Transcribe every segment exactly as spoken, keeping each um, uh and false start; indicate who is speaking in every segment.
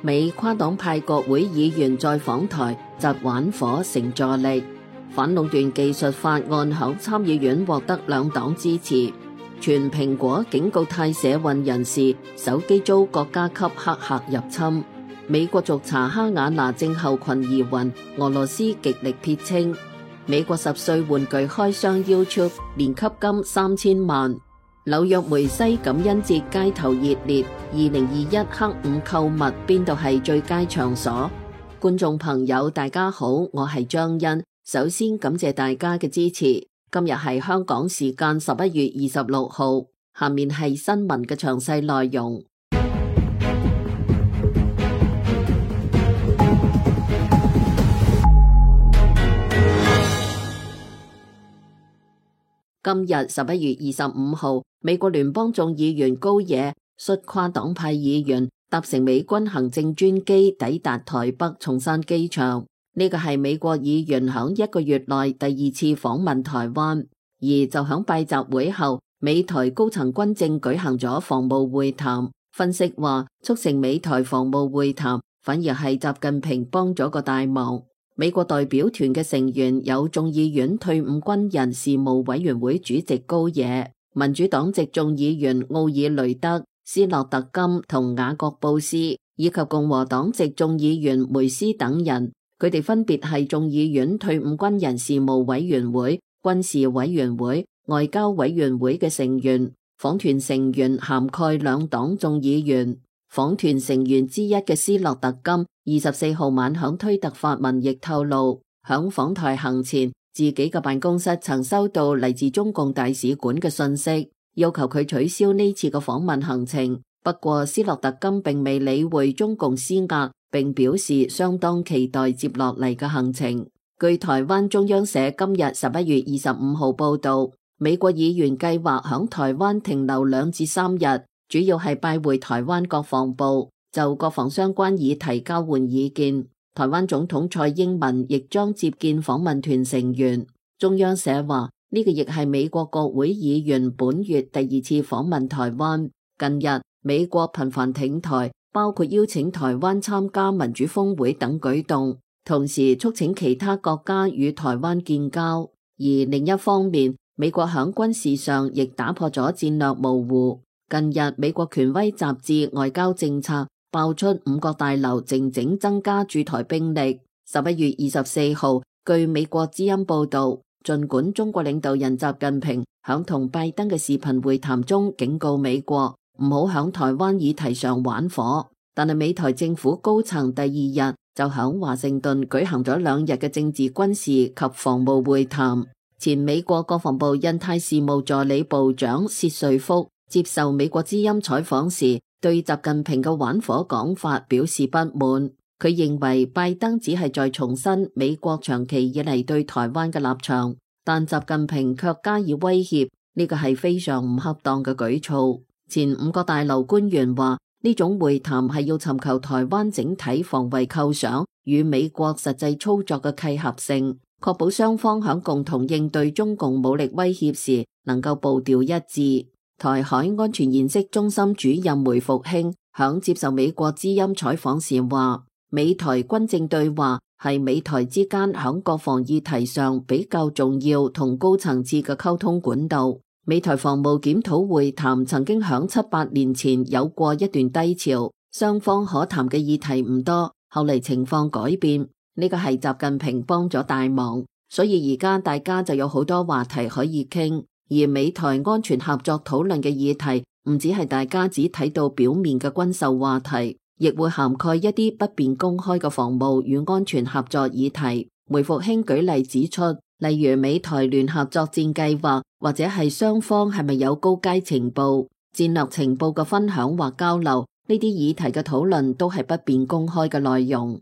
Speaker 1: 美跨黨派國會議員在訪台窒玩火成助力，反壟斷技術法案響參議院獲得兩黨支持。全蘋果警告泰社運人士手機遭國家級黑客入侵。美國續查哈瓦那症候群疑雲，俄羅斯極力撇清。美國十歲玩具開箱 YouTube 年給金三千萬。紐約梅西感恩節街頭熱烈，二零二一黑五購物邊度係最佳場所？觀眾朋友大家好，我係張欣，首先感謝大家嘅支持。今日係香港時間十一月二十六號，下面係新聞嘅詳細內容。今日十一月二十五號，美國聯邦眾議員高野率跨黨派議員搭乘美軍行政專機抵達台北松山機場。呢個係美國議員響一個月內第二次訪問台灣，而就響拜習會後，美台高層軍政舉行咗防務會談。分析話，促成美台防務會談，反而係習近平幫咗個大忙。美國代表團嘅成員有眾議院退伍軍人事務委員會主席高野、民主黨籍眾議員奧爾雷德、斯諾特金同雅各布斯，以及共和黨籍眾議員梅斯等人。佢哋分別係眾議院退伍軍人事務委員會、軍事委員會、外交委員會嘅成員。訪團成員涵蓋兩黨眾議員。訪團成員之一嘅斯諾特金二十四號晚響推特發文亦透露，響訪台行前，自己嘅辦公室曾收到嚟自中共大使館嘅信息，要求佢取消呢次嘅訪問行程。不過斯諾特金並未理會中共施壓，並表示相當期待接落嚟嘅行程。據台灣中央社今日十一月二十五號報道，美國議員計劃響台灣停留兩至三日，主要係拜會台灣國防部，就國防相關議題交換意見。台灣總統蔡英文亦將接見訪問團成員。中央社話，呢個亦係美國國會議員本月第二次訪問台灣。近日美國頻繁挺台，包括邀請台灣參加民主峰會等舉動，同時促請其他國家與台灣建交。而另一方面，美國響軍事上亦打破咗戰略模糊。近日美國權威雜誌外交政策爆出五角大樓靜靜增加駐台兵力。十一月二十四號，據美國之音報道，儘管中國領導人習近平響同拜登嘅視頻會談中警告美國唔好響台灣議題上玩火，但係美台政府高層第二日就響華盛頓舉行咗兩日嘅政治軍事及防務會談。前美國國防部印太事務助理部長薛瑞福接受美國之音採訪時，對習近平嘅玩火講法表示不滿。佢認為拜登只係在重申美國長期以嚟對台灣嘅立場，但習近平卻加以威脅，呢個係非常唔恰當嘅舉措。前五角大樓官員話，呢種會談係要尋求台灣整體防衛構想與美國實際操作嘅契合性，確保雙方響共同應對中共武力威脅時能夠步調一致。台海安全研析中心主任梅復興響接受美國之音採訪時話，美台軍政對話係美台之間響國防議題上比較重要同高層次嘅溝通管道。美台防務檢討會談曾經響七八年前有過一段低潮，雙方可談嘅議題唔多，後嚟情況改變，呢個係習近平幫咗大忙，所以而家大家就有好多話題可以傾。而美台安全合作討論嘅議題唔只係大家只睇到表面嘅軍售話題，亦會涵蓋一啲不便公開嘅防務與安全合作議題。梅復興舉例指出，例如美台聯合作戰計劃，或者係雙方係咪有高階情報、戰略情報嘅分享或交流，呢啲議題嘅討論都係不便公開嘅內容。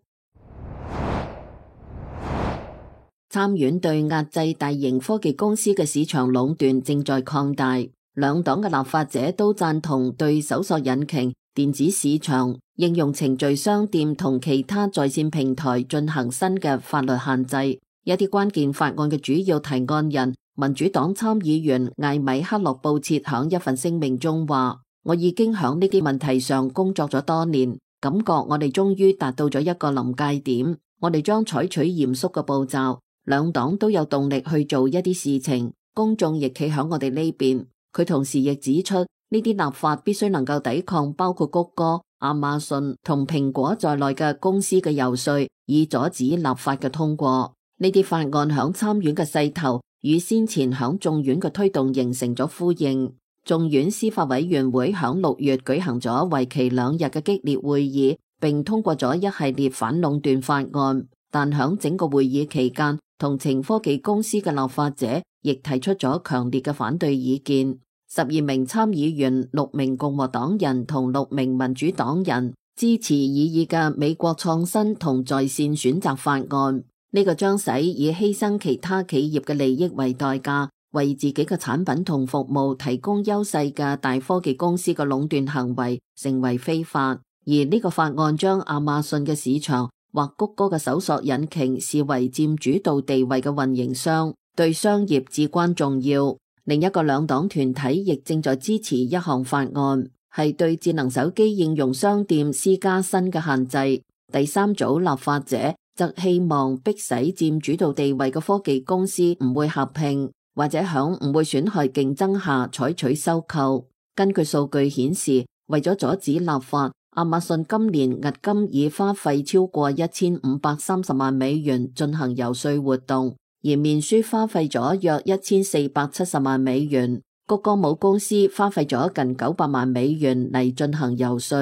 Speaker 1: 參院對壓制大型科技公司嘅市場壟斷正在擴大，兩黨嘅立法者都贊同對搜索引擎、電子市場、應用程序商店同其他在線平台進行新嘅法律限制。一啲關鍵法案嘅主要提案人，民主黨參議員艾米克洛布切響一份聲明中話，我已經響呢啲問題上工作咗多年，感覺我哋終於達到咗一個臨界點，我哋將採取嚴肅嘅步驟，兩黨都有動力去做一啲事情，公眾亦企喺我哋呢邊。佢同時亦指出，呢啲立法必須能夠抵抗包括谷歌、亞馬遜同蘋果在內嘅公司嘅遊說，以阻止立法嘅通過。呢啲法案響參院嘅勢頭與先前響眾院嘅推動形成咗呼應。眾院司法委員會響六月舉行咗為期兩日嘅激烈會議，並通過咗一系列反壟斷法案。但響整個會議期間，同情科技公司嘅立法者亦提出咗強烈嘅反對意見。十二名參議員、六名共和黨人同六名民主黨人支持擬議嘅美國創新同在線選擇法案。呢個將使以犧牲其他企業嘅利益為代價，為自己嘅產品同服務提供優勢嘅大科技公司嘅壟斷行為成為非法。而呢個法案將亞馬遜嘅市場或谷歌嘅搜索引擎視為佔主導地位嘅運營商，對商業至關重要。另一個兩黨團體亦正在支持一項法案，係對智能手機應用商店施加新嘅限制。第三組立法者則希望迫使佔主導地位嘅科技公司唔會合併，或者響唔會損害競爭下採取收購。根據數據顯示，為咗阻止立法，亞馬遜今年迄今已花費超過一千五百三十萬美元進行遊說活動，而面書花費咗約一千四百七十萬美元，谷歌母公司花費咗近九百萬美元嚟進行遊說。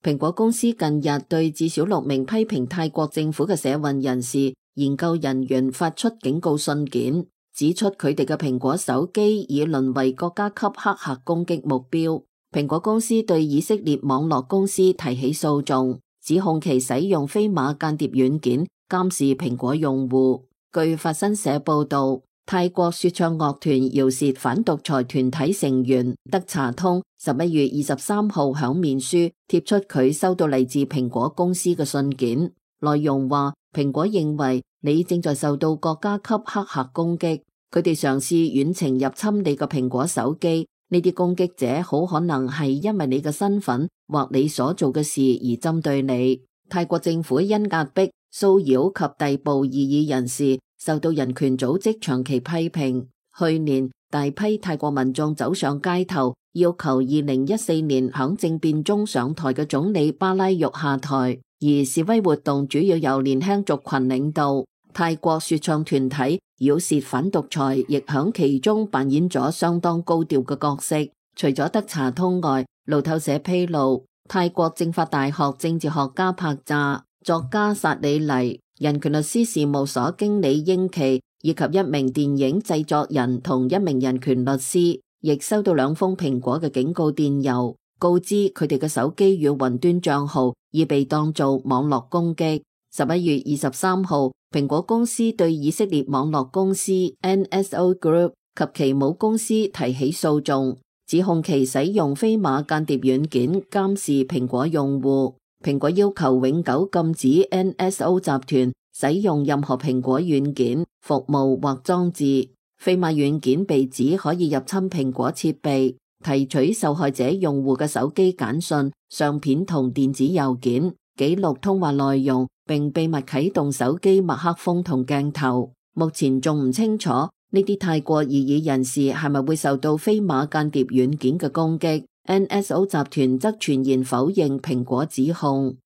Speaker 1: 蘋果公司近日對至少六名批評泰國政府嘅社運人士、研究人員發出警告信件，指出佢哋嘅蘋果手機已淪為國家級黑客攻擊目標。蘋果公司對以色列網絡公司提起訴訟，指控其使用飛馬間諜軟件監視蘋果用戶。據法新社報道，泰國說唱樂團饒舌反獨裁團體成員德查通十一月二十三號響面書貼出佢收到嚟自蘋果公司嘅信件，內容話蘋果認為你正在受到國家級黑客攻擊，佢哋嘗試遠程入侵你個蘋果手機，呢啲攻擊者好可能係因為你嘅身份或你所做嘅事而針對你。泰國政府因壓迫、騷擾及逮捕異議人士，受到人權組織長期批評。去年大批泰國民眾走上街頭，要求二零一四年響政變中上台嘅總理巴拉育下台，而示威活動主要由年輕族群領導。泰國說唱團體饒舌反獨裁亦響其中扮演咗相當高調嘅角色。除咗德查通外，路透社披露，泰國政法大學政治學家帕扎、作家薩里黎、人權律師事務所經理英奇以及一名電影製作人同一名人權律師，亦收到兩封蘋果嘅警告電郵，告知佢哋嘅手機與雲端賬號已被當做網絡攻擊。十一月二十三號，蘋果公司對以色列網絡公司 N S O Group 及其母公司提起訴訟，指控其使用飛馬間諜軟件監視蘋果用戶。蘋果要求永久禁止 N S O 集團使用任何蘋果軟件、服務或裝置。飛馬軟件被指可以入侵蘋果設備，提取受害者用戶嘅手機簡訊、相片同電子郵件，記錄通話內容，並秘密啟動手機麥克風同鏡頭。目前仲唔清楚呢啲泰國異議人士係咪會受到飛馬間諜軟件嘅攻擊。N S O 集團則全然否認蘋果指控。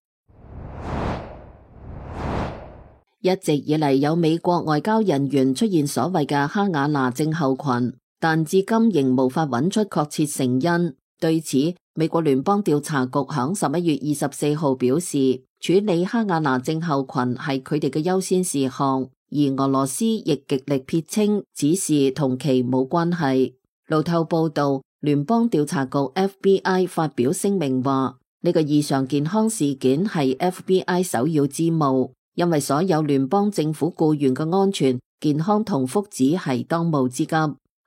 Speaker 1: 一直以嚟有美國外交人員出現所謂嘅哈瓦那症候群，但至今仍無法揾出確切成因。對此，美國聯邦調查局響十一月二十四號表示，處理哈瓦那症候群係佢哋嘅優先事項，而俄羅斯亦極力撇清此事同其冇關係。路透報道，聯邦調查局 F B I 發表聲明話，呢個異常健康事件係 F B I 首要之務，因為所有聯邦政府僱員嘅安全、健康同福祉係當務之急。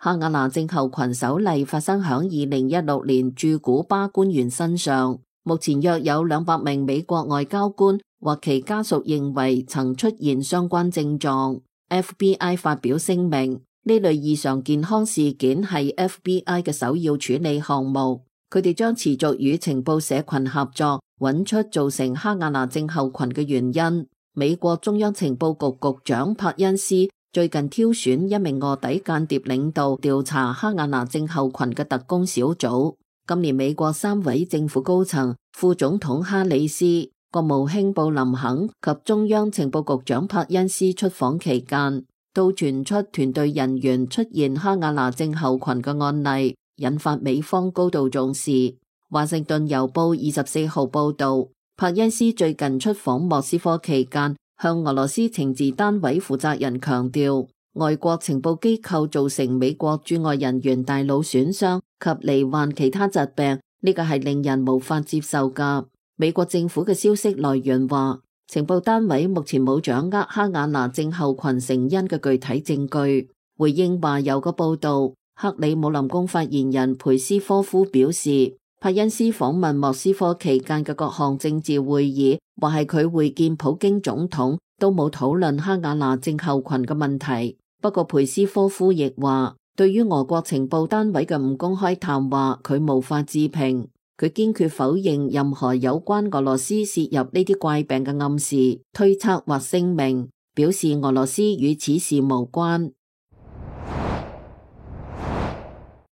Speaker 1: 哈瓦那症候群首例發生響二零一六年駐古巴官員身上，目前約有兩百名美國外交官或其家屬認為曾出現相關症狀。F B I 發表聲明，呢類異常健康事件係 F B I 嘅首要處理項目。佢哋將持續與情報社群合作，揾出造成哈瓦那症候群嘅原因。美國中央情報局局長柏恩斯最近挑選一名臥底間諜領導調查哈瓦那症候群嘅特工小組。今年美國三位政府高層，副總統哈里斯、國務卿布林肯及中央情報局長柏恩斯出訪期間，都傳出團隊人員出現哈瓦那症候群嘅案例，引發美方高度重視。華盛頓郵報二十四號報道，柏恩斯最近出訪莫斯科期間，向俄羅斯情治單位負責人強調，外國情報機構造成美國駐外人員大腦損傷及罹患其他疾病，呢個係令人無法接受㗎。美國政府嘅消息來源話，情報單位目前冇掌握哈瓦那症候群成因嘅具體證據。回應話有個報道，克里姆林宮發言人佩斯科夫表示，柏恩斯訪問莫斯科期間嘅各項政治會議，或係佢會見普京總統，都冇討論哈瓦那症候群嘅問題。不過佩斯科夫亦話，對於俄國情報單位嘅唔公開談話，佢無法置評。佢堅決否認任何有關俄羅斯涉入呢啲怪病嘅暗示、推測或聲明，表示俄羅斯與此事無關。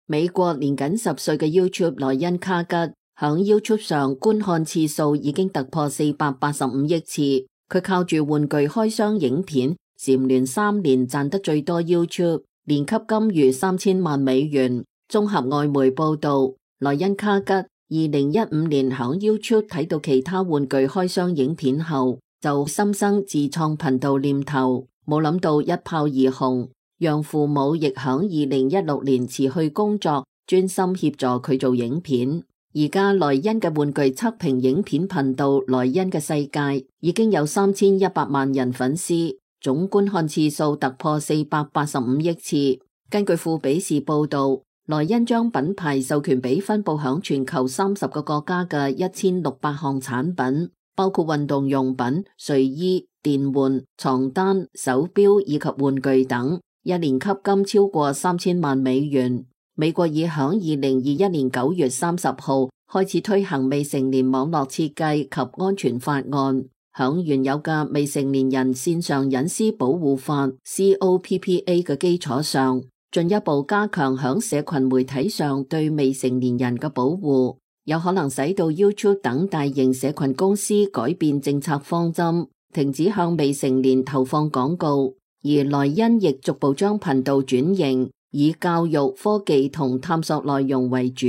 Speaker 1: 美國年僅十歲嘅 YouTube 萊恩卡吉響 YouTube 上觀看次數已經突破四百八十五億次，佢靠住玩具開箱影片，蟬聯三年賺得最多 YouTube， 年給金逾三千萬美元。綜合外媒報道，萊恩卡吉二零一五年響 YouTube 睇到其他玩具開箱影片後，就心生自創頻道念頭，冇諗到一炮而紅，讓父母亦響二零一六年辭去工作，專心協助佢做影片。而家萊恩嘅玩具測評影片頻道萊恩嘅世界已經有三千一百萬人粉絲，總觀看次數突破四百八十五億次。根據富比士報道，萊恩將品牌授權俾分佈響全球三十個國家嘅一千六百項產品，包括運動用品、睡衣、電玩、床單、手錶以及玩具等，一年給金超過三千萬美元。美國已響二零二一年九月三十號開始推行未成年網絡設計及安全法案，響原有嘅未成年人線上隱私保護法 C O P P A 嘅基礎上，進一步加強響社群媒體上對未成年人嘅保護，有可能使到 YouTube 等大型社群公司改變政策方針，停止向未成年投放廣告。而萊恩亦逐步將頻道轉型，以教育、科技同探索內容為主，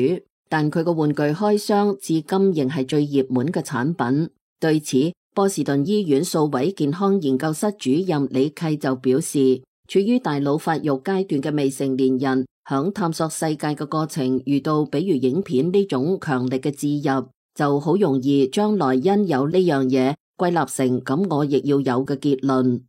Speaker 1: 但佢個玩具開箱至今仍係最熱門嘅產品。對此，波士頓醫院數位健康研究室主任李契就表示，處於大腦發育階段嘅未成年人，響探索世界嘅過程遇到比如影片呢種強力嘅置入，就好容易將萊恩有呢樣嘢歸納成咁我亦要有嘅結論。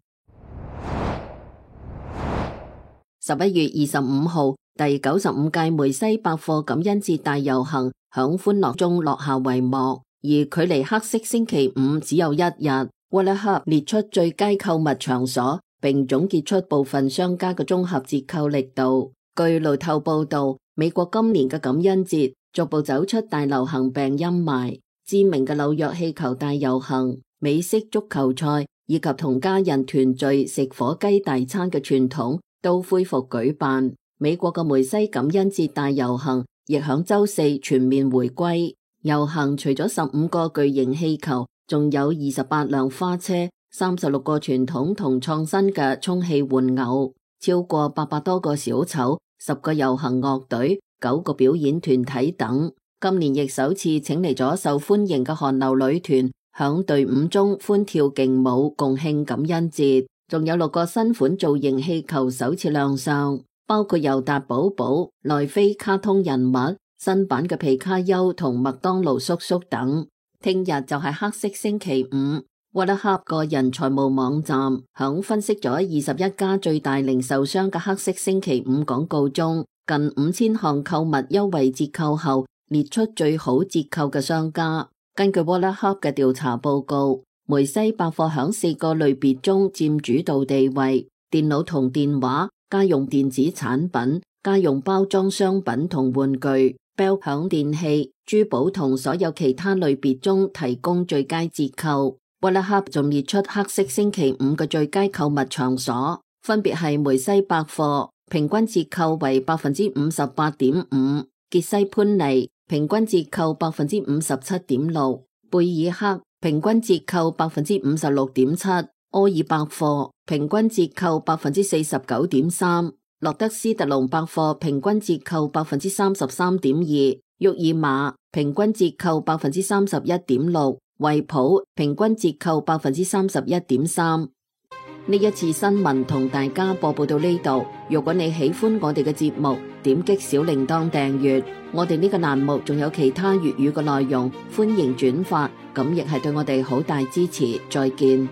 Speaker 1: 十一月二十五號，第九十五屆梅西百貨感恩節大遊行響歡樂中落下帷幕，而距離黑色星期五只有一日。WalletHub列出最佳購物場所，並總結出部分商家嘅綜合折扣力度。據路透報道，美國今年嘅感恩節逐步走出大流行病陰霾，知名嘅紐約氣球大遊行、美式足球賽以及同家人團聚食火雞大餐嘅傳統都恢復舉辦。美國嘅梅西感恩節大遊行亦響週四全面回歸。遊行除咗十五個巨型氣球，仲有二十八輛花車、三十六個傳統同創新嘅充氣玩偶，超過八百多個小丑、十個遊行樂隊、九個表演團體等。今年亦首次請嚟咗受歡迎嘅韓流女團，響隊伍中歡跳勁舞，共慶感恩節。仲有六個新款造型氣球首次亮相，包括尤達寶寶、奈飛卡通人物、新版嘅皮卡丘同麥當勞叔叔等。聽日就係黑色星期五。WalletHub 個人財務網站響分析咗二十一家最大零售商嘅黑色星期五廣告中，近五千項購物優惠折扣後列出最好折扣嘅商家。根據 WalletHub 嘅調查報告，梅西百貨響四個類別中佔主導地位：電腦同電話、家用電子產品、家用包裝商品同玩具、Bell 響電器、珠寶同所有其他類別中提供最佳折扣。Wallahub 仲列出黑色星期五嘅最佳購物場所，分別係梅西百貨，平均折扣為百分之五十八點五；傑西潘尼平均折扣百分之五十七點六；貝爾克平均折扣百分之五十六點七；柯爾百貨平均折扣百分之四十九點三；洛德斯特隆百貨平均折扣百分之三十三點二；沃爾瑪平均折扣百分之三十一點六。惠普平均折扣百分之三十一點三。呢一次新聞同大家播報到呢度。如果你喜歡我哋嘅節目，點擊小鈴鐺訂閱。我哋呢個欄目仲有其他粵語嘅內容，歡迎轉發，咁亦係對我哋好大支持。再見。